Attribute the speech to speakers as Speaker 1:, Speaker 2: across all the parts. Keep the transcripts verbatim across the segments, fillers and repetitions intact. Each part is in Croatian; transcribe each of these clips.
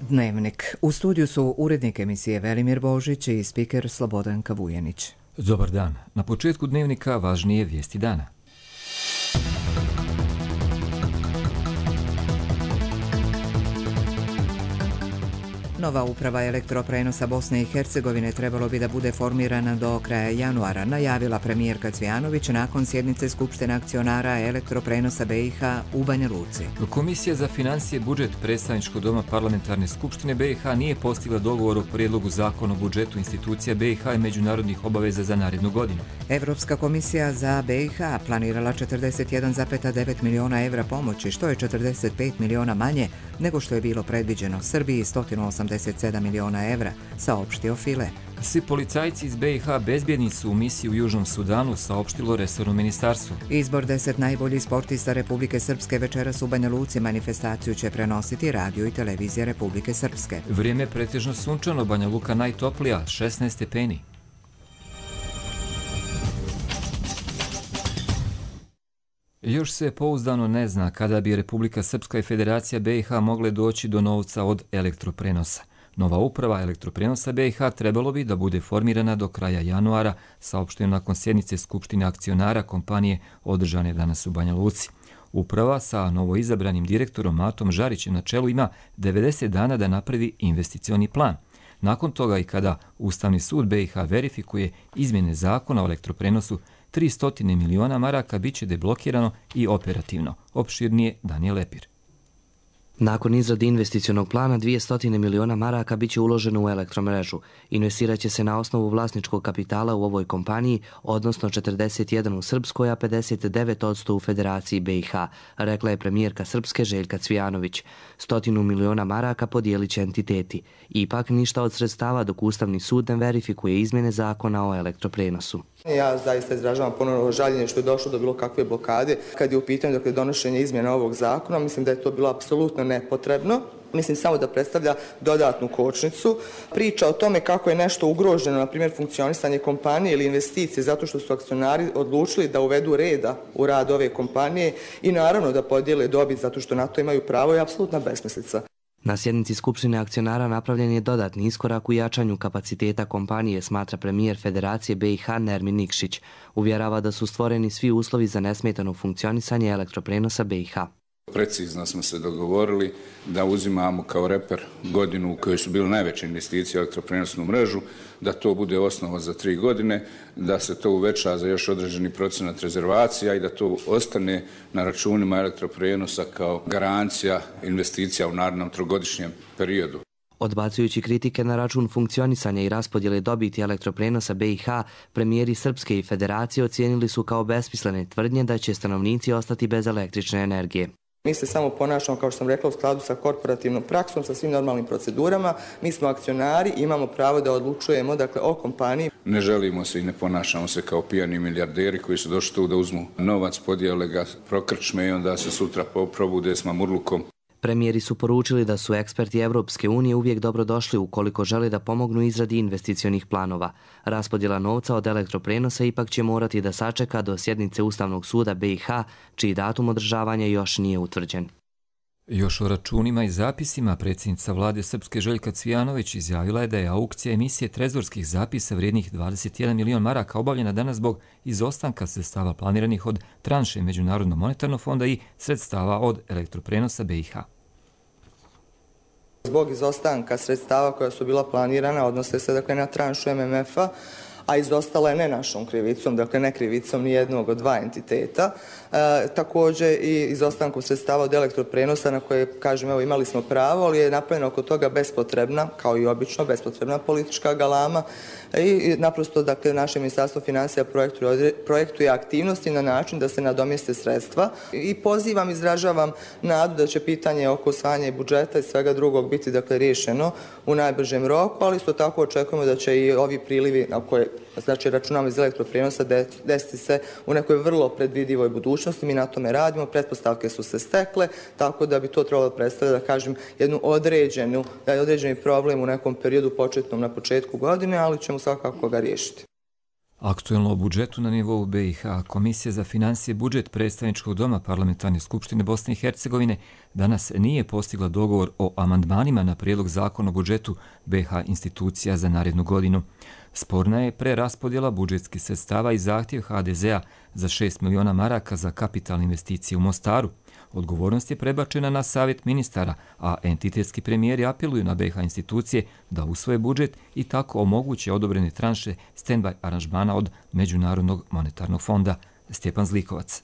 Speaker 1: Dnevnik. U studiju su urednik emisije Velimir Božić i spiker Slobodanka Vujanić.
Speaker 2: Dobar dan. Na početku Dnevnika važnije vijesti dana.
Speaker 1: Nova uprava elektroprenosa Bosne i Hercegovine trebalo bi da bude formirana do kraja januara, najavila premijerka Cvijanović nakon sjednice Skupštine akcionara elektroprenosa B i H u Banja Luci.
Speaker 2: Komisija za financije i budžet Predstavničkog doma Parlamentarne skupštine B i H nije postigla dogovor o prijedlogu zakona o budžetu institucija B i H i međunarodnih obaveza za narednu godinu.
Speaker 1: Evropska komisija za B i H planirala četrdeset jedan zarez devet miliona evra pomoći, što je četrdeset pet miliona manje nego što je bilo predviđeno. Srbiji sto osamdeset sedam miliona evra, saopštio File.
Speaker 2: Svi policajci iz B i H bezbjedni su u misiji u Južnom Sudanu, saopštilo resorno ministarstvo.
Speaker 1: Izbor deset najboljih sportista Republike Srpske večeras u Banja Luci. Manifestaciju će prenositi radio i televizija Republike Srpske.
Speaker 2: Vrijeme je pretežno sunčano, Banja Luka najtoplija, šesnaest stepeni. Još se pouzdano ne zna kada bi Republika Srpska i Federacija B i H mogle doći do novca od elektroprenosa. Nova uprava elektroprenosa B i H trebalo bi da bude formirana do kraja januara, saopšteno nakon sjednice Skupštine akcionara kompanije održane danas u Banja Luci. Uprava sa novoizabranim direktorom Matom Žarićem na čelu ima devedeset dana da napravi investicioni plan. Nakon toga i kada Ustavni sud B i H verifikuje izmjene zakona o elektroprenosu, tristo miliona maraka bit će deblokirano i operativno. Opširnije Danijel Lepir.
Speaker 3: Nakon izrade investicionog plana, dvjesto miliona maraka bit će uloženo u elektromrežu. Investirat će se na osnovu vlasničkog kapitala u ovoj kompaniji, odnosno četrdeset jedan u Srpskoj, a pedeset devet posto u Federaciji B i H, rekla je premijerka Srpske Željka Cvijanović. Stotinu miliona maraka podijelit će entiteti. Ipak ništa od sredstava dok Ustavni sud ne verifikuje izmjene zakona o elektroprenosu.
Speaker 4: Ja zaista izražavam ponovno žaljenje što je došlo do bilo kakve blokade. Kad je u pitanju dakle, donošenje izmjena ovog zakona, mislim da je to bilo apsolutno nepotrebno. Mislim samo da predstavlja dodatnu kočnicu. Priča o tome kako je nešto ugroženo, na primjer funkcionisanje kompanije ili investicije, zato što su akcionari odlučili da uvedu reda u rad ove kompanije i naravno da podijele dobit zato što na to imaju pravo, je apsolutna besmislica.
Speaker 3: Na sjednici Skupštine akcionara napravljen je dodatni iskorak u jačanju kapaciteta kompanije, smatra premijer Federacije B i H Nermin Nikšić. Uvjerava da su stvoreni svi uslovi za nesmetano funkcionisanje elektroprenosa B i H.
Speaker 5: Precizno smo se dogovorili da uzimamo kao reper godinu u kojoj su bile najveće investicije u elektroprenosnu mrežu, da to bude osnova za tri godine, da se to uveća za još određeni procenat rezervacija i da to ostane na računima elektroprenosa kao garancija investicija u narednom trogodišnjem periodu.
Speaker 3: Odbacujući kritike na račun funkcionisanja i raspodjele dobiti elektroprenosa B i H, premijeri Srpske i Federacije ocijenili su kao besmislene tvrdnje da će stanovnici ostati bez električne energije.
Speaker 4: Mi se samo ponašamo, kao što sam rekla, u skladu sa korporativnom praksom, sa svim normalnim procedurama. Mi smo akcionari i imamo pravo da odlučujemo dakle, o kompaniji.
Speaker 5: Ne želimo se i ne ponašamo se kao pijani milijarderi koji su došli tu da uzmu novac, podijele ga, prokrčme i onda se sutra probude s mamurlukom.
Speaker 3: Premijeri su poručili da su eksperti Evropske unije uvijek dobrodošli ukoliko žele da pomognu izradi investicionih planova. Raspodjela novca od elektroprenosa ipak će morati da sačeka do sjednice Ustavnog suda B i H, čiji datum održavanja još nije utvrđen.
Speaker 2: Još o računima i zapisima predsjednica vlade Srpske Željka Cvijanović izjavila je da je aukcija emisije trezorskih zapisa vrijednih dvadeset jedan milion maraka obavljena danas zbog izostanka sredstava planiranih od tranše Međunarodnog monetarnog fonda i sredstava od elektroprenosa B i H.
Speaker 4: Zbog izostanka sredstava koja su bila planirana, odnose se dakle, na tranšu M M F-a, a izostala je ne našom krivicom, dakle ne krivicom ni jednog od dva entiteta. E, također i izostankom sredstava od elektroprenosa na koje, kažem, evo, imali smo pravo, ali je napravljena oko toga bespotrebna, kao i obično, bespotrebna politička galama i naprosto, dakle, naše ministarstvo financija projektuje, projektuje aktivnosti na način da se nadomjeste sredstva i pozivam, izražavam nadu da će pitanje oko usvajanja budžeta i svega drugog biti, dakle, riješeno u najbržem roku, ali isto tako očekujemo da će i ovi prilivi na koje znači računamo iz elektroprenosa desiti se u nekoj vrlo predvidivoj budućnosti. Mi na tome radimo, pretpostavke su se stekle, tako da bi to trebalo predstavljati, da kažem, jednu određenu, da je određeni problem u nekom periodu početnom na početku godine, ali ćemo svakako ga riješiti.
Speaker 2: Aktuelno o budžetu na nivou B i H. Komisija za financije budžet predstavničkog doma Parlamentarne skupštine Bosne i Hercegovine danas nije postigla dogovor o amandmanima na prijedlog zakona o budžetu B i H institucija za narednu godinu. Sporna je preraspodjela budžetskih sredstava i zahtjev H D Z-a za šest miliona maraka za kapitalne investicije u Mostaru. Odgovornost je prebačena na savjet ministara, a entitetski premijeri apeluju na B i H institucije da usvoje budžet i tako omoguće odobrene tranše stand-by aranžmana od Međunarodnog monetarnog fonda. Stjepan Zlikovac.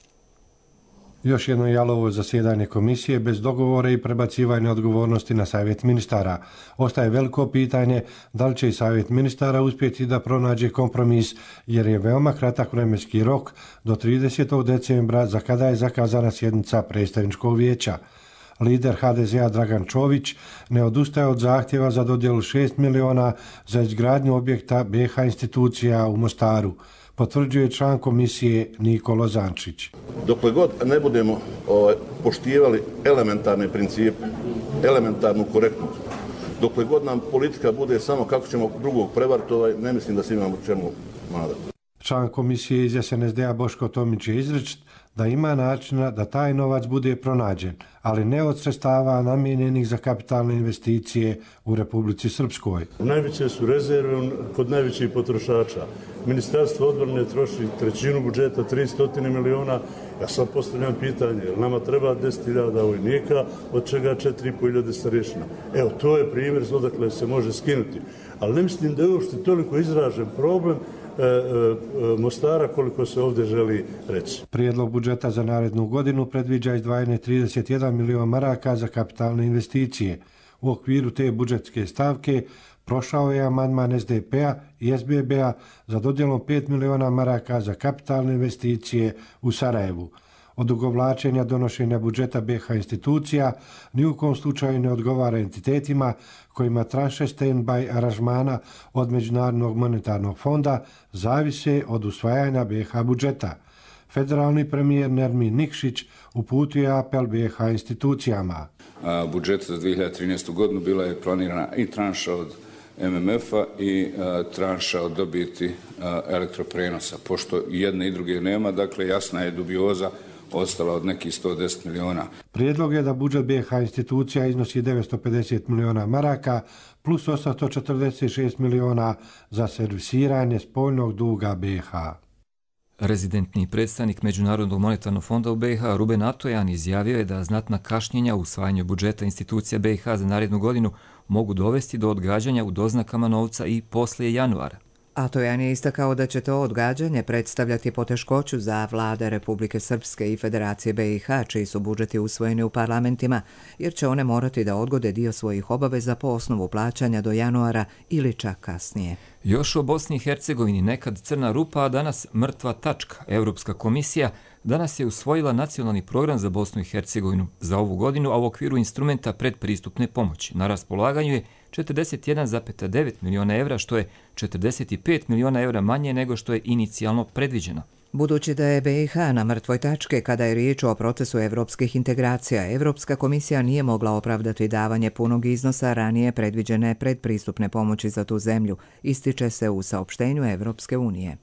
Speaker 6: Još jedno jalovo zasjedanje komisije bez dogovora i prebacivanja odgovornosti na savjet ministara. Ostaje veliko pitanje da li će i savjet ministara uspjeti da pronađe kompromis, jer je veoma kratak vremenski rok do tridesetog decembra za kada je zakazana sjednica predstavničkog vijeća. Lider H D Z-a Dragan Čović ne odustaje od zahtjeva za dodjelu šest miliona za izgradnju objekta B i H institucija u Mostaru, potvrđuje član komisije Nikola Zančić.
Speaker 7: Dokle god ne budemo ovaj, poštivali elementarne principe, elementarnu korektnost, dokle god nam politika bude samo kako ćemo drugog prevariti, ovaj, ne mislim da se imamo čemu nadati.
Speaker 6: Član komisije iz S N S D-a Boško Tomić je izrečit da ima načina da taj novac bude pronađen, ali ne od sredstava namijenjenih za kapitalne investicije u Republici Srpskoj.
Speaker 8: Najveće su rezerve kod najvećih potrošača. Ministarstvo odbrane troši trećinu budžeta, tristo miliona. Ja sad postavljam pitanje, nama treba deset hiljada vojnika, od čega četiri i po hiljade starješina. Evo, to je primjer odakle se može skinuti. Ali ne mislim da je uopšte toliko izražen problem E, e, Mostara koliko se ovdje želi reći.
Speaker 6: Prijedlog budžeta za narednu godinu predviđa izdvajanje trideset jedan milion maraka za kapitalne investicije. U okviru te budžetske stavke prošao je amandman S D P-a i S B B-a za dodjelom pet miliona maraka za kapitalne investicije u Sarajevu. Odugovlačenja donošenja budžeta B i H institucija ni u kom slučaju ne odgovara entitetima kojima tranše stand-by aranžmana od Međunarodnog monetarnog fonda zavise od usvajanja B i H budžeta. Federalni premijer Nermin Nikšić uputio je apel B i H institucijama.
Speaker 5: A, budžet za dvije hiljade trinaestu. godinu bila je planirana i tranša od M M F-a i a, tranša od dobiti a, elektroprenosa. Pošto jedne i druge nema, dakle jasna je dubioza ostala od nekih sto deset miliona.
Speaker 6: Prijedlog je da budžet B i H institucija iznosi devetsto pedeset miliona maraka plus osamsto četrdeset šest miliona za servisiranje spoljnog duga B i H.
Speaker 2: Rezidentni predstavnik Međunarodnog monetarnog fonda u B i H Ruben Atojan izjavio je da znatna kašnjenja u usvajanju budžeta institucija B i H za narednu godinu mogu dovesti do odgađanja u doznakama novca i poslije januara.
Speaker 1: Atojan je istakao da će to odgađanje predstavljati poteškoću za vlade Republike Srpske i Federacije B i H, čiji su budžeti usvojeni u parlamentima, jer će one morati da odgode dio svojih obaveza po osnovu plaćanja do januara ili čak kasnije.
Speaker 2: Još o Bosni i Hercegovini, nekad crna rupa, a danas mrtva tačka. Europska komisija danas je usvojila nacionalni program za Bosnu i Hercegovinu za ovu godinu, a u okviru instrumenta predpristupne pomoći. Na raspolaganju je četrdeset jedan zarez devet miliona evra, što je četrdeset pet miliona evra manje nego što je inicijalno predviđeno.
Speaker 1: Budući da je B i H na mrtvoj tačke kada je riječ o procesu evropskih integracija, Evropska komisija nije mogla opravdati davanje punog iznosa ranije predviđene predpristupne pomoći za tu zemlju, ističe se u saopštenju Evropske unije.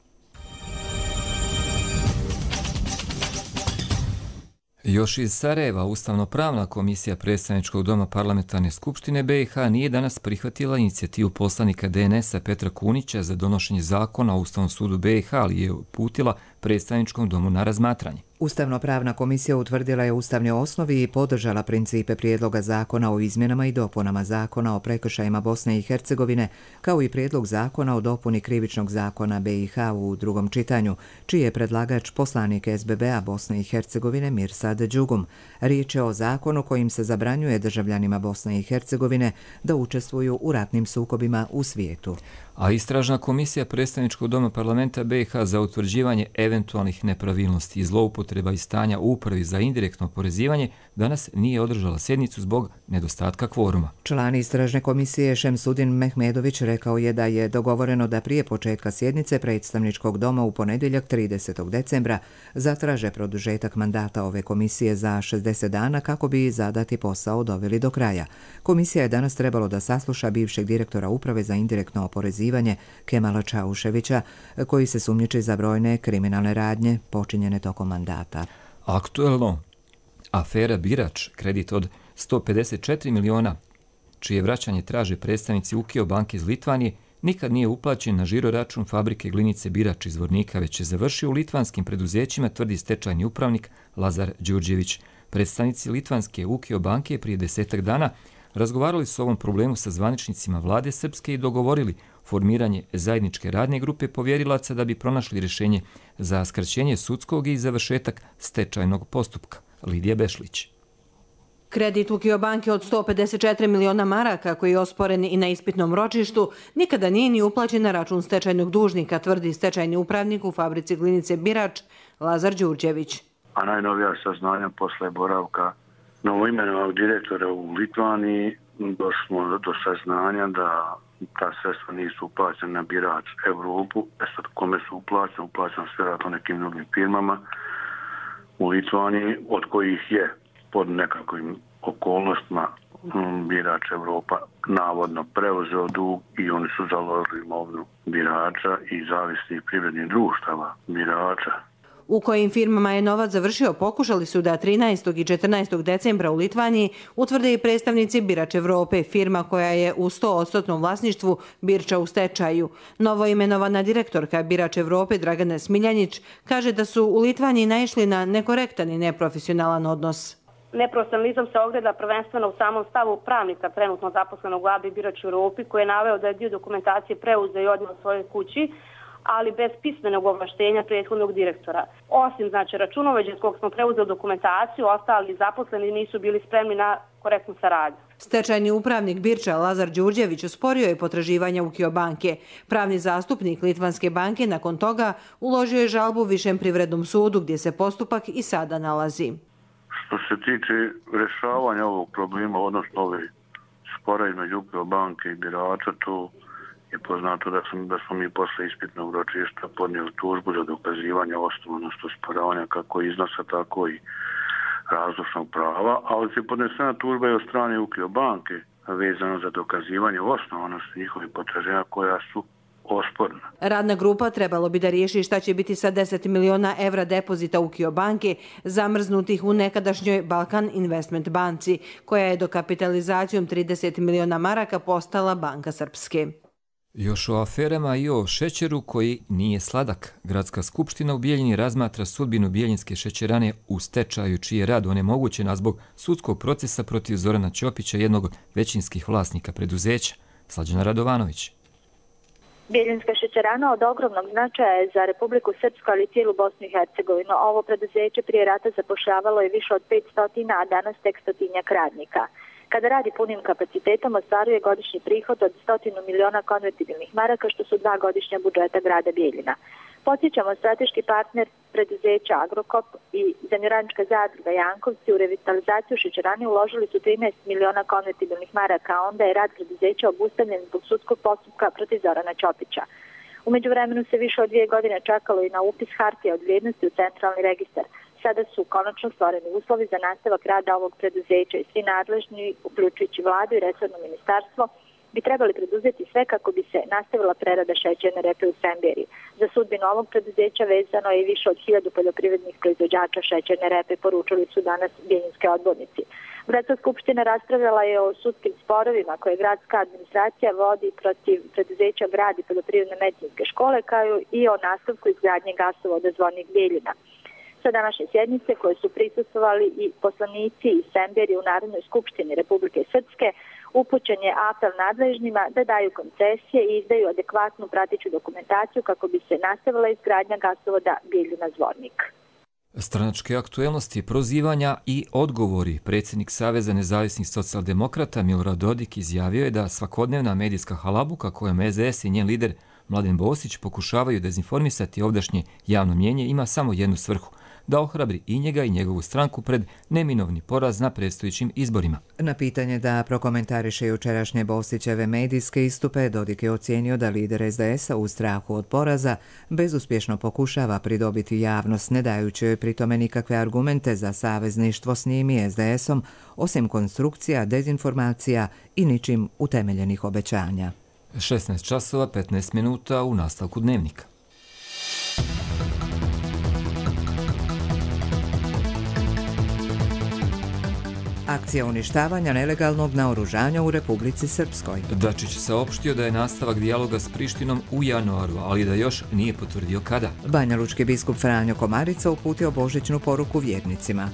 Speaker 2: Još iz Sarajeva, Ustavno-pravna komisija predstavničkog doma Parlamentarne skupštine B i H nije danas prihvatila inicijativu poslanika D N S-a Petra Kunića za donošenje zakona o Ustavnom sudu B i H, ali je uputila predstavničkom domu na razmatranje.
Speaker 1: Ustavno-pravna komisija utvrdila je ustavne osnovi i podržala principe prijedloga zakona o izmjenama i dopunama zakona o prekršajima Bosne i Hercegovine, kao i prijedlog zakona o dopuni krivičnog zakona B i H u drugom čitanju, čiji je predlagač poslanik S B B-a Bosne i Hercegovine Mirsad Đugum. Riječ je o zakonu kojim se zabranjuje državljanima Bosne i Hercegovine da učestvuju u ratnim sukobima u svijetu.
Speaker 2: A istražna komisija predstavničkog doma parlamenta B i H za utvrđivanje eventualnih nepravilnosti i zloupotreba i stanja u upravi za indirektno oporezivanje danas nije održala sjednicu zbog nedostatka kvoruma.
Speaker 1: Član istražne komisije Šemsudin Mehmedović rekao je da je dogovoreno da prije početka sjednice predstavničkog doma u ponedjeljak tridesetog decembra zatraže produžetak mandata ove komisije za šezdeset dana kako bi zadati posao doveli do kraja. Komisija je danas trebalo da sasluša bivšeg direktora Uprave za indirektno oporezivanje Kemala Čauševića, koji se sumnjiči za brojne kriminalne radnje počinjene tokom mandata.
Speaker 2: Aktuelno, afera Birač, kredit od sto pedeset četiri miliona, čije vraćanje traže predstavnici Ukio banke iz Litvanije, nikad nije uplaćen na žiro račun fabrike glinice Birač iz Zvornika, već je završio u litvanskim preduzećima, tvrdi stečajni upravnik Lazar Đurđević. Predstavnici litvanske Ukio banke prije desetak dana razgovarali su o ovom problemu sa zvaničnicima vlade Srpske i dogovorili formiranje zajedničke radne grupe povjerilaca da bi pronašli rješenje za skraćenje sudskog i završetak stečajnog postupka. Lidija Bešlić.
Speaker 9: Kredit Ukio banke od sto pedeset četiri miliona maraka, koji je osporen i na ispitnom ročištu, nikada nije ni uplaćen na račun stečajnog dužnika, tvrdi stečajni upravnik u fabrici glinice Birač Lazar Đurđević.
Speaker 10: A najnovija saznanja posle boravka novoimenovanog direktora u Litvaniji došlo do saznanja da ta sredstva nisu uplaćena na Birač Evropu, sad kome su uplaćene, uplaćene sve vjerojatno nekim drugim firmama u Litvaniji, od kojih je pod nekakvim okolnostima Birač Evropa navodno preuzeo dug i oni su založili imovinu Birača i zavisnih privrednih društava Birača.
Speaker 9: U kojim firmama je novac završio, pokušali su da trinaestog i četrnaestog decembra u Litvaniji utvrde i predstavnici Birač Evrope, firma koja je u sto posto vlasništvu Birča u stečaju. Novoimenovana direktorka Birač Evrope Dragana Smiljanjić kaže da su u Litvaniji naišli na nekorektan i neprofesionalan odnos.
Speaker 11: Neprofesionalizam se ogleda prvenstveno u samom stavu pravnika trenutno zaposlenog u A B I Birač Evropi, koji je naveo da je dio dokumentacije preuzeo i odneo svojoj kući, ali bez pismenog ovlaštenja prethodnog direktora. Osim znači računovođe s kog smo preuzeli dokumentaciju, ostali zaposleni nisu bili spremni na korektnu saradnju.
Speaker 9: Stečajni upravnik Birča Lazar Đurđević osporio je potraživanja Ukio banke. Pravni zastupnik Litvanske banke nakon toga uložio je žalbu Višem privrednom sudu, gdje se postupak i sada nalazi.
Speaker 10: Što se tiče rješavanja ovog problema, odnosno ove spora između Ukio banke i Birača, to je poznato da, sam, da smo mi posle ispitnog ročišta podnijeli tužbu za dokazivanje osnovanosti osporavanja kako iznosa, tako i razlučnog prava, ali se podnesena tužba je od strane Ukio banke vezano za dokazivanje osnovanosti njihovih potraživanja koja su osporna.
Speaker 9: Radna grupa trebalo bi da riješi šta će biti sa deset miliona evra depozita Ukio banke zamrznutih u nekadašnjoj Balkan Investment banci, koja je dokapitalizacijom trideset miliona maraka postala Banka Srpske.
Speaker 2: Još o aferama i o šećeru koji nije sladak. Gradska skupština u Bijeljini razmatra sudbinu bijeljinske šećerane u stečaju, čiji je rad onemogućen zbog sudskog procesa protiv Zorana Ćopića, jednog od većinskih vlasnika preduzeća. Slađana Radovanović.
Speaker 12: Bijeljinska šećerana od ogromnog značaja je za Republiku Srpsku, ali i cijelu Bosnu i Hercegovinu. Ovo preduzeće prije rata zapošljavalo je više od petsto, a danas tek stotinjak radnika. Kada radi punim kapacitetom, ostvaruje godišnji prihod od stotinu miliona konvertibilnih maraka, što su dva godišnja budžeta grada Bijeljina. Podsjećamo, strateški partner preduzeća Agrokop i zemljoradnička zadruga Jankovci u revitalizaciju šećerane uložili su trinaest miliona konvertibilnih maraka, a onda je rad preduzeća obustavljen zbog sudskog postupka protiv Zorana Ćopića. U međuvremenu se više od dvije godine čekalo i na upis hartija od vrijednosti u centralni registar. Sada su konačno stvoreni uslovi za nastavak rada ovog preduzeća i svi nadležni, uključujući vladu i resorno ministarstvo, bi trebali preduzeti sve kako bi se nastavila prerada šećerne repe u Semberiji. Za sudbinu ovog preduzeća vezano je i više od hiljadu poljoprivrednih proizvođača šećerne repe, poručili su danas bijeljinske odbornici. Gradska skupština raspravljala je o sudskim sporovima koje gradska administracija vodi protiv preduzeća Grad i poljoprivredne medicinske škole, kao i o nastavku izgradnje gasovoda Zvornik Bijeljina. Sa današnje sjednice koje su prisustvovali i poslanici iz Semberije u Narodnoj skupštini Republike Srpske, upućen je apel nadležnima da daju koncesije i izdaju adekvatnu prateću dokumentaciju kako bi se nastavila izgradnja gasovoda Bijeljina-Zvornik.
Speaker 2: Stranačke aktuelnosti, prozivanja i odgovori. Predsjednik Saveza nezavisnih socijaldemokrata Milorad Dodik izjavio je da svakodnevna medijska halabuka kojom S D S i njen lider Mladen Bosić pokušavaju dezinformisati ovdašnje javno mjenje ima samo jednu svrhu – da ohrabri i njega i njegovu stranku pred neminovni poraz na predstojećim izborima.
Speaker 1: Na pitanje da prokomentariše jučerašnje Bostićeve medijske istupe, Dodik je ocijenio da lider es de es a u strahu od poraza bezuspješno pokušava pridobiti javnost, ne dajući joj pritome nikakve argumente za savezništvo s njim i es de esom, osim konstrukcija, dezinformacija i ničim utemeljenih obećanja.
Speaker 2: šesnaest časova petnaest minuta u nastavku dnevnika.
Speaker 1: Akcija uništavanja nelegalnog naoružanja u Republici Srpskoj.
Speaker 2: Dačić saopštio da je nastavak dijaloga s Prištinom u januaru, ali da još nije potvrdio kada.
Speaker 1: Banjalučki biskup Franjo Komarica uputio božićnu poruku vjernicima.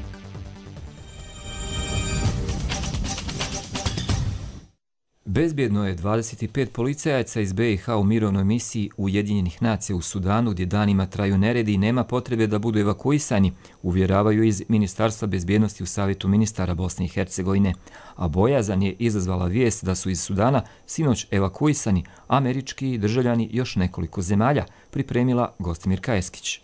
Speaker 2: Bezbjedno je dvadeset pet policajaca iz be i ha u mirovnoj misiji Ujedinjenih nacija u Sudanu, gdje danima traju neredi i nema potrebe da budu evakuisani, uvjeravaju iz Ministarstva bezbjednosti u Savjetu ministara Bosne i Hercegovine. A bojazan je izazvala vijest da su iz Sudana sinoć evakuisani američki državljani još nekoliko zemalja, pripremila Gostimir Kajeskić.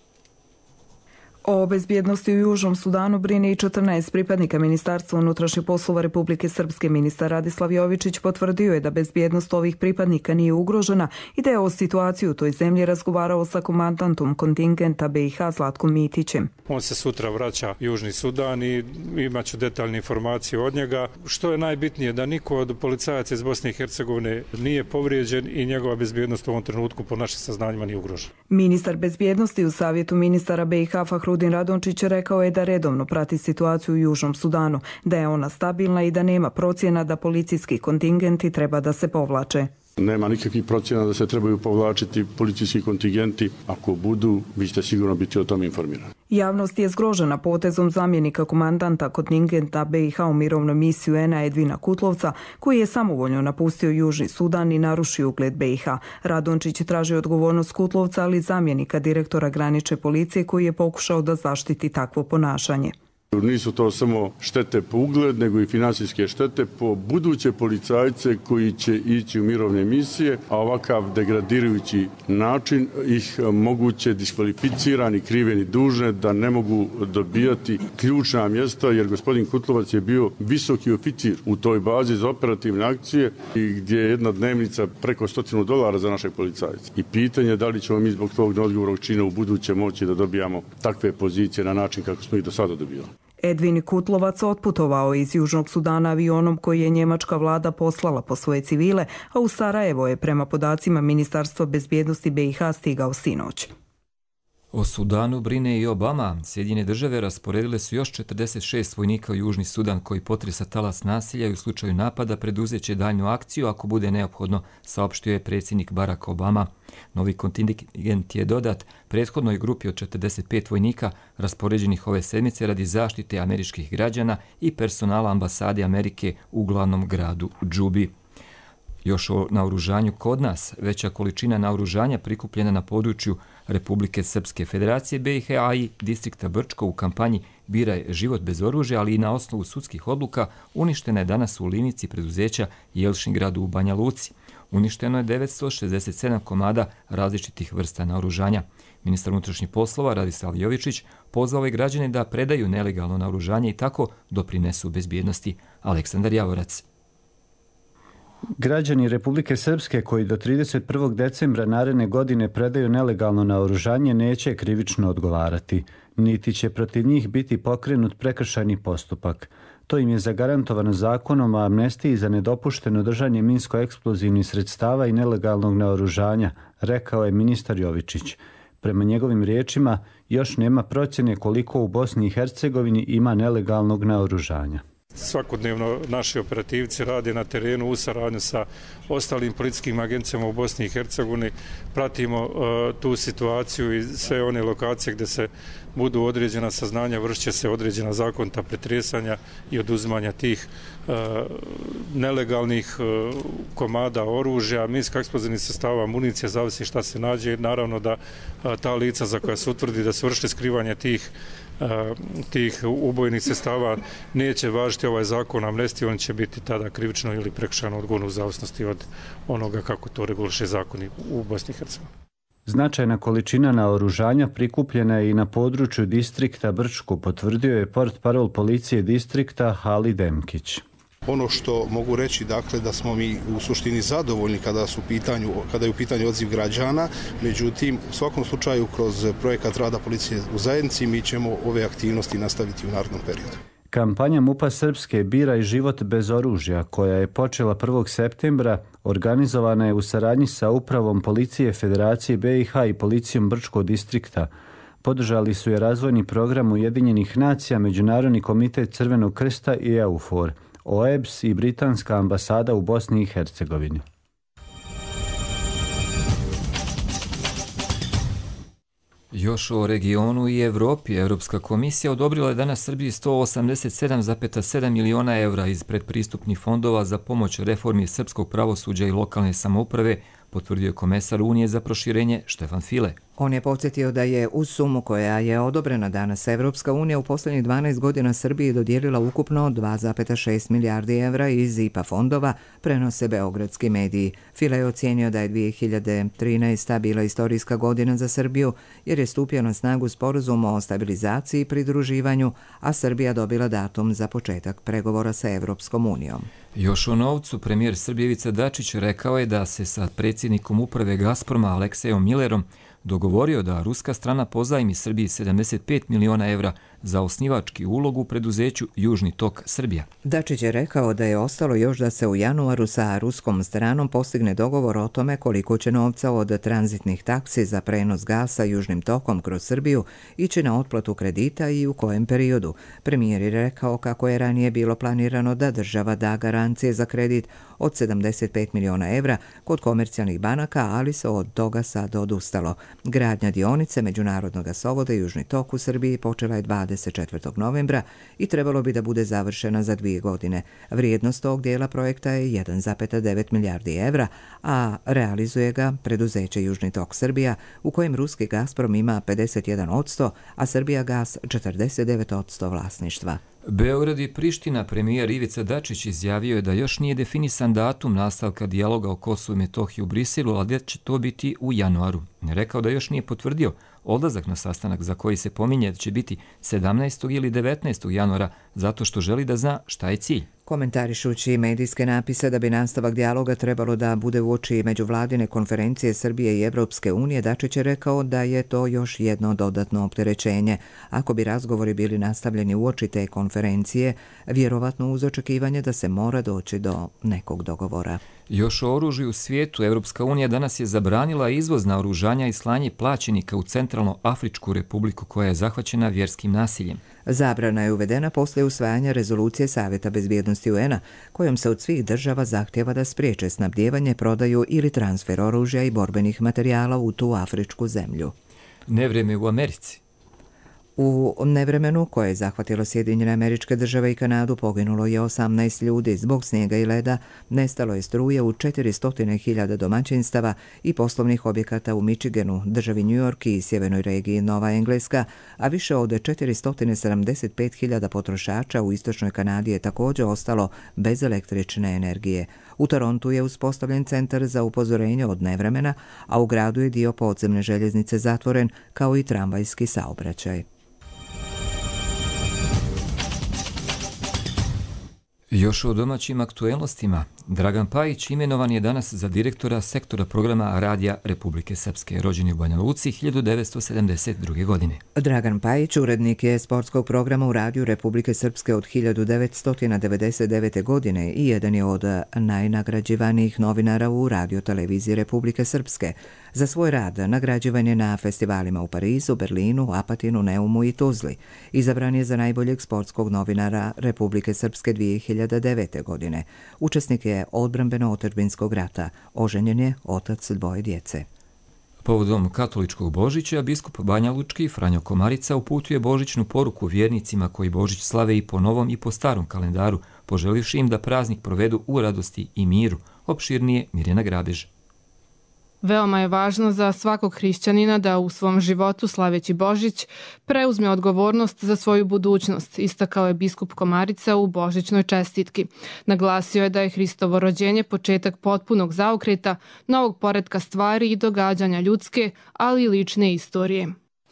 Speaker 13: O bezbjednosti u Južnom Sudanu brine i četrnaest pripadnika Ministarstva unutrašnjih poslova Republike Srpske. Ministar Radislav Jovičić potvrdio je da bezbjednost ovih pripadnika nije ugrožena i da je o situaciji u toj zemlji razgovarao sa komandantom kontingenta be i ha Zlatkom Mitićem.
Speaker 14: On se sutra vraća Južni Sudan i imat ću detaljne informacije od njega. Što je najbitnije, da niko od policajaca iz Bosne i Hercegovine nije povrijeđen i njegova bezbjednost u ovom trenutku po našim saznanjima nije ugrožena.
Speaker 13: Ministar bezbjednosti u Savjetu ministara be i ha Fahrudin Radončić rekao je da redovno prati situaciju u Južnom Sudanu, da je ona stabilna i da nema procjena da policijski kontingenti treba da se povlače.
Speaker 8: Nema nikakvih procjena da se trebaju povlačiti policijski kontingenti. Ako budu, vi ćete sigurno biti o tom informirani.
Speaker 13: Javnost je zgrožena potezom zamjenika komandanta kontingenta be i ha u mirovnoj misiji u en a Edvina Kutlovca, koji je samovoljno napustio Južni Sudan i narušio ugled be i ha. Radončić traži odgovornost Kutlovca, ali zamjenika direktora granične policije koji je pokušao da zaštiti takvo ponašanje.
Speaker 8: Nisu to samo štete po ugled, nego i finansijske štete po buduće policajce koji će ići u mirovne misije, a ovakav degradirajući način ih moguće diskvalificirani, kriveni, dužne da ne mogu dobijati ključna mjesta, jer gospodin Kutlovac je bio visoki oficir u toj bazi za operativne akcije i gdje je jedna dnevnica preko stotinu dolara za naše policajce. I pitanje je da li ćemo mi zbog tog neodgovornog čina u buduće moći da dobijamo takve pozicije na način kako smo ih do sada dobili.
Speaker 13: Edvin Kutlovac otputovao iz Južnog Sudana avionom koji je njemačka vlada poslala po svoje civile, a u Sarajevo je prema podacima Ministarstva bezbjednosti be i ha stigao sinoć.
Speaker 2: O Sudanu brine i Obama. Sjedinjene države rasporedile su još četrdeset šest vojnika u Južni Sudan koji potresa talas nasilja i u slučaju napada preduzeće daljnju akciju ako bude neophodno, saopštio je predsjednik Barack Obama. Novi kontingent je dodat prethodnoj grupi od četrdeset pet vojnika raspoređenih ove sedmice radi zaštite američkih građana i personala ambasade Amerike u glavnom gradu Džubi. Još o naoružanju kod nas, veća količina naoružanja prikupljena na području Republike Srpske Federacije be i ha i distrikta Brčko u kampanji Biraj život bez oružja, ali i na osnovu sudskih odluka, uništena je danas u livnici preduzeća Jelšingradu u Banja Luci. Uništeno je devetsto šezdeset sedam komada različitih vrsta naoružanja. Ministar unutrašnjih poslova Radislav Jovičić pozvao je građane da predaju nelegalno naoružanje i tako doprinesu bezbjednosti. Aleksandar Javorac.
Speaker 15: Građani Republike Srpske koji do trideset prvog decembra naredne godine predaju nelegalno naoružanje neće krivično odgovarati, niti će protiv njih biti pokrenut prekršajni postupak. To im je zagarantovano zakonom o amnestiji za nedopušteno držanje minsko-eksplozivnih sredstava i nelegalnog naoružanja, rekao je ministar Jovičić. Prema njegovim riječima, još nema procjene koliko u Bosni i Hercegovini ima nelegalnog naoružanja.
Speaker 14: Svakodnevno naši operativci rade na terenu u saradnju sa ostalim policijskim agencijama u Bosni i Hercegovini. Pratimo uh, tu situaciju i sve one lokacije gdje se budu određena saznanja, vršće se određena zakonita pretresanja i oduzimanja tih uh, nelegalnih uh, komada oružja, minsko-eksplozivnih sredstava, municije, zavisi šta se nađe. Naravno da uh, ta lica za koja se utvrdi da su vršili skrivanje tih tih ubojnih sredstava neće važiti ovaj zakon o amnestiji, on će biti tada krivično ili prekršajno odgovorno u zavisnosti od onoga kako to reguliše zakoni u Bosni i Hercegovini.
Speaker 15: Značajna količina naoružanja prikupljena je i na području distrikta Brčko, potvrdio je portparol policije distrikta Halid Demkić.
Speaker 16: Ono što mogu reći, dakle, da smo mi u suštini zadovoljni kada su u pitanju, kada je u pitanju odziv građana, međutim, u svakom slučaju kroz projekat rada policije u zajednici mi ćemo ove aktivnosti nastaviti u narednom periodu.
Speaker 15: Kampanja MUP-a Srpske Biraj život bez oružja, koja je počela prvog septembra, organizovana je u saradnji sa Upravom policije Federacije B i H i policijom Brčkog distrikta. Podržali su je razvojni program Ujedinjenih nacija, Međunarodni komitet Crvenog krsta i EUFOR, O E B S i Britanska ambasada u Bosni i Hercegovini.
Speaker 2: Još o regionu i Evropi. Europska komisija odobrila je danas Srbiji sto osamdeset sedam zarez sedam miliona evra iz predpristupnih fondova za pomoć reformi srpskog pravosuđa i lokalne samouprave, potvrdio je komesar Unije za proširenje Štefan File.
Speaker 1: On je podsjetio da je uz sumu koja je odobrena danas Evropska unija u posljednjih dvanaest godina Srbiji dodijelila ukupno dva zarez šest milijardi evra iz I P A fondova, prenose beogradski mediji. File je ocijenio da je dvije hiljade trinaesta. bila istorijska godina za Srbiju jer je stupio na snagu sporazum o stabilizaciji i pridruživanju, a Srbija dobila datum za početak pregovora sa Evropskom unijom.
Speaker 2: Još o novcu, premijer Srbije Ivica Dačić rekao je da se sa predsjednikom uprave Gazproma Aleksejom Millerom dogovorio da ruska strana pozajmi Srbiji sedamdeset pet miliona evra za osnivački ulog u preduzeću Južni tok Srbija.
Speaker 1: Dačić je rekao da je ostalo još da se u januaru sa ruskom stranom postigne dogovor o tome koliko će novca od tranzitnih taksi za prenos gasa Južnim tokom kroz Srbiju ići na otplatu kredita i u kojem periodu. Premijer je rekao kako je ranije bilo planirano da država da garancije za kredit od sedamdeset pet miliona evra kod komercijalnih banaka, ali se od toga sad odustalo. Gradnja dionice međunarodnog gasovoda Južni tok u Srbiji počela je dvadeset četvrtog novembra i trebalo bi da bude završena za dvije godine. Vrijednost tog dijela projekta je jedan zarez devet milijardi evra, a realizuje ga preduzeće Južni tok Srbija, u kojem ruski Gazprom ima pedeset jedan posto, a Srbija gas četrdeset devet posto vlasništva.
Speaker 2: Beograd i Priština. Premijer Ivica Dačić izjavio je da još nije definisan datum nastavka dijaloga o Kosovu i Metohiji u Briselu, ali da će to biti u januaru. Rekao da još nije potvrdio odlazak na sastanak za koji se pominje da će biti sedamnaestog ili devetnaestog januara, zato što želi da zna šta je cilj.
Speaker 1: Komentarišući medijske napise da bi nastavak dijaloga trebalo da bude uoči međuvladine konferencije Srbije i Evropske unije, Dačić je rekao da je to još jedno dodatno opterećenje. Ako bi razgovori bili nastavljeni uoči te konferencije, vjerovatno uz očekivanje da se mora doći do nekog dogovora.
Speaker 2: Još o oružju u svijetu. Evropska unija danas je zabranila izvoz naoružanja i slanje plaćenika u Centralno-Afričku republiku koja je zahvaćena vjerskim nasiljem.
Speaker 1: Zabrana je uvedena poslije usvajanja rezolucije Savjeta bezbjednosti U N-a, kojom se od svih država zahtjeva da spriječe snabdijevanje, prodaju ili transfer oružja i borbenih materijala u tu afričku zemlju.
Speaker 2: Nevrijeme u Americi.
Speaker 1: U nevremenu koje je zahvatilo Sjedinjene Američke Države i Kanadu poginulo je osamnaest ljudi. Zbog snijega i leda nestalo je struje u četiristo hiljada domaćinstava i poslovnih objekata u Michiganu, državi New York i sjevernoj regiji Nova Engleska, a više od četiristo sedamdeset pet hiljada potrošača u istočnoj Kanadi je također ostalo bez električne energije. U Torontu je uspostavljen centar za upozorenje od nevremena, a u gradu je dio podzemne željeznice zatvoren, kao i tramvajski saobraćaj.
Speaker 2: Još o domaćim aktuelnostima. Dragan Pajić imenovan je danas za direktora sektora programa Radija Republike Srpske, rođen u Banja Luci hiljadu devetsto sedamdeset druge. godine.
Speaker 1: Dragan Pajić urednik je sportskog programa u Radiju Republike Srpske od hiljadu devetsto devedeset devete. godine i jedan je od najnagrađivanijih novinara u radioteleviziji Republike Srpske. Za svoj rad nagrađivan je na festivalima u Parizu, Berlinu, Apatinu, Neumu i Tuzli. Izabran je za najboljeg sportskog novinara Republike Srpske dvije hiljade devete. godine. Učesnik je odbrambeno-otadžbinskog rata. Oženjen je, otac dvoje djece.
Speaker 2: Povodom katoličkog Božića, biskup Banja Lučki Franjo Komarica uputio je božićnu poruku vjernicima koji Božić slave i po novom i po starom kalendaru, poželivši im da praznik provedu u radosti i miru. Opširnije Mirjana Grabež.
Speaker 17: Veoma je važno za svakog hrišćanina da u svom životu, slaveći Božić, preuzme odgovornost za svoju budućnost, istakao je biskup Komarica u božićnoj čestitki. Naglasio je da je Hristovo rođenje početak potpunog zaokreta, novog poretka stvari i događanja ljudske, ali i lične istorije.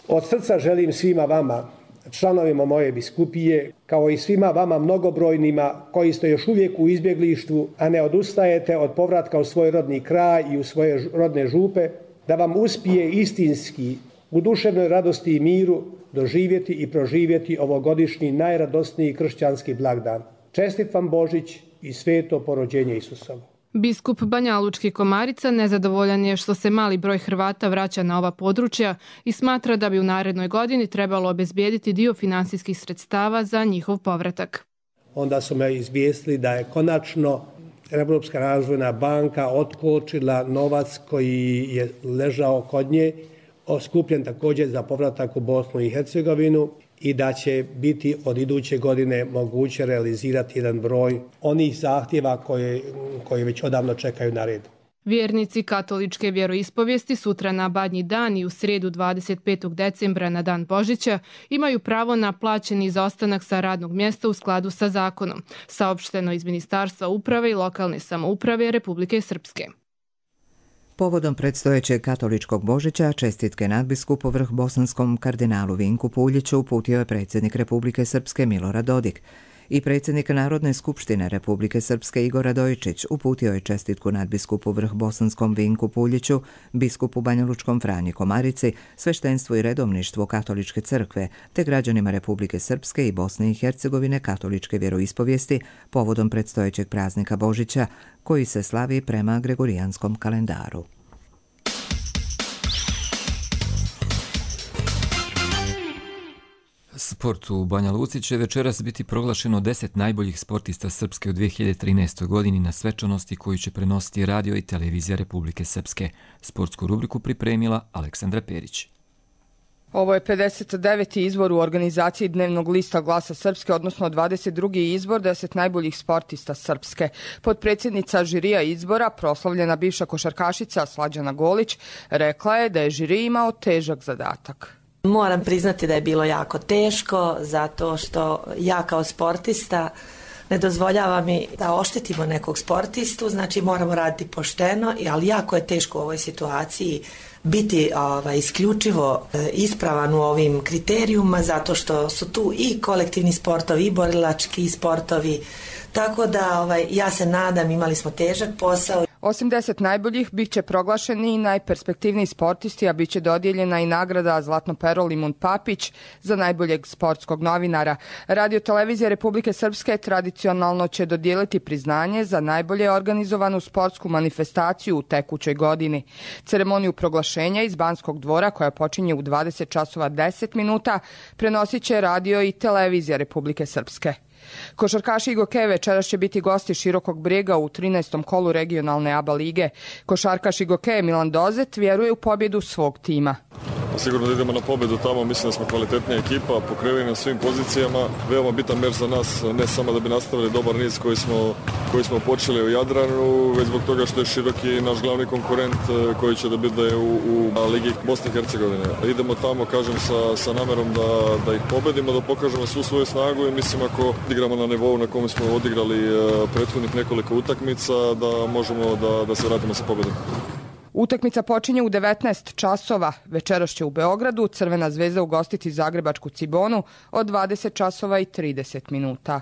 Speaker 18: Od srca želim svima vama, članovima moje biskupije, kao i svima vama mnogobrojnima koji ste još uvijek u izbjeglištvu, a ne odustajete od povratka u svoj rodni kraj i u svoje rodne župe, da vam uspije istinski u duševnoj radosti i miru doživjeti i proživjeti ovogodišnji najradosniji kršćanski blagdan. Čestit vam Božić i sveto porođenje Isusovo.
Speaker 17: Biskup Banjalučki Komarica nezadovoljan je što se mali broj Hrvata vraća na ova područja i smatra da bi u narednoj godini trebalo obezbijediti dio finansijskih sredstava za njihov povratak.
Speaker 18: Onda su me izvijestili da je konačno Europska razvojna banka otkočila novac koji je ležao kod nje, skupljen također za povratak u Bosnu i Hercegovinu, i da će biti od iduće godine moguće realizirati jedan broj onih zahtjeva koje, koje već odavno čekaju na red.
Speaker 17: Vjernici katoličke vjeroispovijesti sutra na Badnji dan i u srijedu dvadeset petog decembra na dan Božića imaju pravo na plaćeni izostanak sa radnog mjesta u skladu sa zakonom, saopšteno iz Ministarstva uprave i lokalne samouprave Republike Srpske.
Speaker 1: Povodom predstojećeg katoličkog Božića čestitke nadbiskupu vrh bosanskom kardinalu Vinku Puljiću uputio je predsjednik Republike Srpske Milorad Dodik. I predsjednik Narodne skupštine Republike Srpske Igor Radojičić uputio je čestitku nadbiskupu vrh bosanskom Vinku Puljiću, biskupu Banjalučkom Franji Komarici, sveštenstvu i redovništvu Katoličke crkve, te građanima Republike Srpske i Bosne i Hercegovine katoličke vjeroispovijesti povodom predstojećeg praznika Božića, koji se slavi prema gregorijanskom kalendaru.
Speaker 2: Sport u Banja Luci će večeras biti proglašeno deset najboljih sportista Srpske u dvije hiljade trinaestoj. godini na svečanosti koju će prenositi radio i televizija Republike Srpske. Sportsku rubriku pripremila Aleksandra Perić.
Speaker 19: Ovo je pedeset deveti izbor u organizaciji Dnevnog lista Glasa Srpske, odnosno dvadeset drugi izbor deset najboljih sportista Srpske. Potpredsjednica žirija izbora, proslavljena bivša košarkašica Slađana Golić, rekla je da je žiri imao težak zadatak.
Speaker 20: Moram priznati da je bilo jako teško, zato što ja kao sportista ne dozvoljava mi da oštetimo nekog sportistu, znači moramo raditi pošteno, ali jako je teško u ovoj situaciji biti ovaj, isključivo ispravan u ovim kriterijuma, zato što su tu i kolektivni sportovi i borilački sportovi, tako da ovaj, ja se nadam, imali smo težak posao.
Speaker 19: Osim deset najboljih, bit će proglašeni i najperspektivniji sportisti, a bit će dodijeljena i nagrada Zlatno pero Limun Papić za najboljeg sportskog novinara. Radio televizija Republike Srpske tradicionalno će dodijeliti priznanje za najbolje organizovanu sportsku manifestaciju u tekućoj godini. Ceremoniju proglašenja iz Banskog dvora, koja počinje u dvadeset časova deset minuta, prenosit će radio i televizija Republike Srpske. Košarkaši Igoke večeras će biti gosti Širokog Brijega u trinaestom kolu regionalne A B A lige. Košarkaš Igoke Milan Dozet vjeruje u pobjedu svog tima.
Speaker 21: Sigurno da idemo na pobjedu tamo, mislim da smo kvalitetnija ekipa, pokriveni na svim pozicijama. Veoma bitan meč za nas, ne samo da bi nastavili dobar niz koji smo, koji smo počeli u Jadranu, već zbog toga što je Široki naš glavni konkurent koji će da bude u, u Ligi Bosne i Hercegovine. Idemo tamo, kažem, sa, sa namerom da, da ih pobedimo, da pokažemo svu svoju snagu i mislim ako igramo na nivou na kome smo odigrali prethodnih nekoliko utakmica, da možemo da, da se vratimo sa pobjedom.
Speaker 19: Utakmica počinje u devetnaest časova. Večeras će u Beogradu Crvena zvezda ugostiti zagrebačku Cibonu od dvadeset časova i trideset minuta.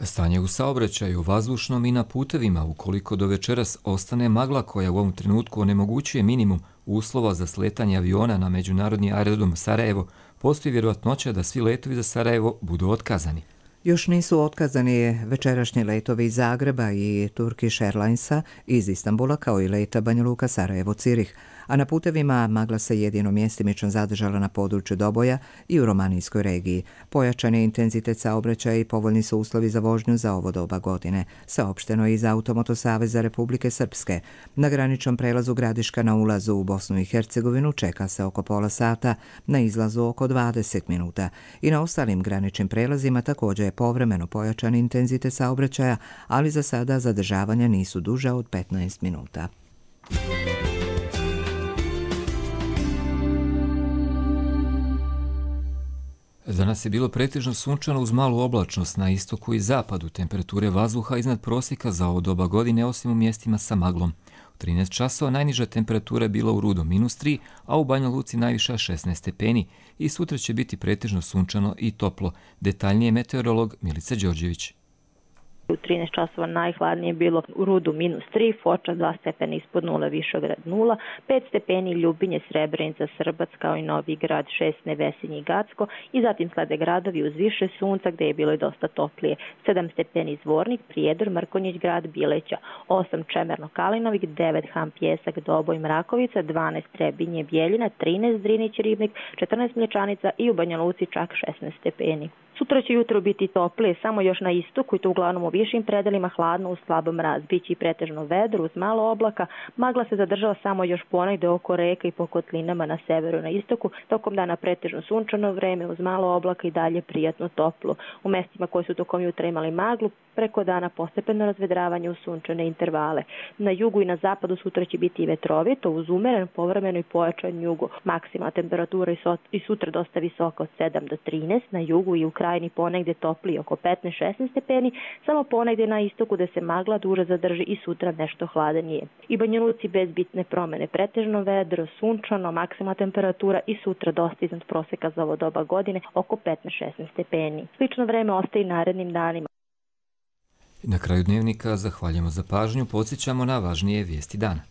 Speaker 2: Stanje u saobraćaju, vazdušnom i na putevima, ukoliko do večeras ostane magla koja u ovom trenutku onemogućuje minimum uslova za sletanje aviona na međunarodni aerodrom Sarajevo, postoji vjerojatnoća da svi letovi za Sarajevo budu otkazani.
Speaker 1: Još nisu otkazani večerašnji letovi iz Zagreba i Turkish Airlinesa iz Istanbula, kao i leta Banja Luka, Sarajevo, Cirih, a na putevima magla se jedino mjestimično zadržala na području Doboja i u Romanijskoj regiji. Pojačan je intenzitet saobraćaja i povoljni su uslovi za vožnju za ovo doba godine, saopšteno je iz Automoto Saveza Republike Srpske. Na graničnom prelazu Gradiška na ulazu u Bosnu i Hercegovinu čeka se oko pola sata, na izlazu oko dvadeset minuta i na ostalim graničnim prelazima također je povremeno pojačan intenzitet saobraćaja, ali za sada zadržavanja nisu duža od petnaest minuta.
Speaker 2: Danas je bilo pretežno sunčano uz malu oblačnost na istoku i zapadu, temperature vazduha iznad prosjeka za ovo doba godine, osim u mjestima sa maglom. U trinaest časova najniža temperatura je bila u Rudo minus tri, a u Banja Luci najviša šesnaest stepeni i sutra će biti pretežno sunčano i toplo. Detaljnije meteorolog Milica Đorđević.
Speaker 3: U trinaest časova najhladnije bilo u Rudu minus tri, Foča dva stepena ispod nula, Višograd nula, pet stepeni Ljubinje, Srebrenica, Srbac kao i Novi Grad, šest Nevesinje i Gacko i zatim slede gradovi uz više sunca gdje je bilo i dosta toplije, sedam stepeni Zvornik, Prijedor, Mrkonjić grad, Bileća, osam Čemerno Kalinovik, devet Han Pjesak, Doboj, Mrakovica, dvanaest Trebinje, Bjeljina, trinaest Drinić Ribnik, četrnaest Mlječanica i u Banja Luci čak šesnaest stepeni. Sutra će jutro biti toplije, samo još na istoku i to uglavnom u višim predelima hladno uz slabo mraz. Biće i pretežno vedro uz malo oblaka, magla se zadržava samo još ponegde oko reka i po kotlinama na severu i na istoku, tokom dana pretežno sunčano vreme uz malo oblaka i dalje prijatno toplo. U mestima koji su tokom jutra imali maglu, preko dana postepeno razvedravanje u sunčane intervale. Na jugu i na zapadu sutra će biti i vetrovito uz umeren, povremeno i pojačan jugo. Maksimalna temperatura i sutra dosta visoka od sedam do trinaest, na jugu i u krajini ponegde topliji oko petnaest šesnaest stepeni, samo ponegde na istoku gde se magla duže zadrži i sutra nešto hladanije. I Banja Luci bez bitne promene, pretežno vedro, sunčano, maksimalna temperatura i sutra dosta iznad proseka za ovo doba godine oko petnaest šesnaest stepeni. Slično vreme ostaje i narednim danima.
Speaker 2: Na kraju dnevnika zahvaljujemo za pažnju, podsjećamo na važnije vijesti dana.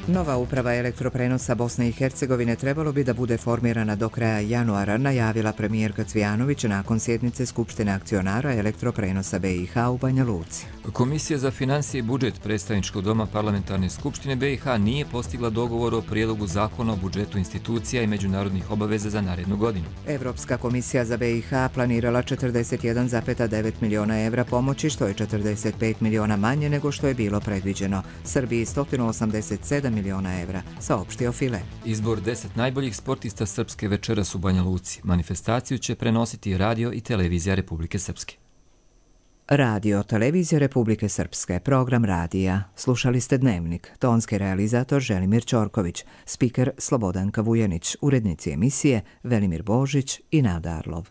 Speaker 1: Nova uprava elektroprenosa Bosne i Hercegovine trebalo bi da bude formirana do kraja januara, najavila premijerka Cvijanović nakon sjednice Skupštine akcionara elektroprenosa B i H u Banja Luci.
Speaker 2: Komisija za financije i budžet Predstavničkog doma Parlamentarne skupštine B i H nije postigla dogovor o prijedlogu zakona o budžetu institucija i međunarodnih obaveza za narednu godinu.
Speaker 1: Evropska komisija za B i H planirala četrdeset jedan zarez devet miliona evra pomoći, što je četrdeset pet miliona manje nego što je bilo predviđeno. Srbiji sto osamdeset sedam miliona evra, saopštio File.
Speaker 2: Izbor deset najboljih sportista Srpske večeras u Banja Luci. Manifestaciju će prenositi radio i televizija Republike Srpske.
Speaker 1: Radio, televizija Republike Srpske, program radija. Slušali ste Dnevnik, tonski realizator Želimir Ćorković, spiker Slobodanka Vujanić, urednici emisije Velimir Božić i Nada Arlov.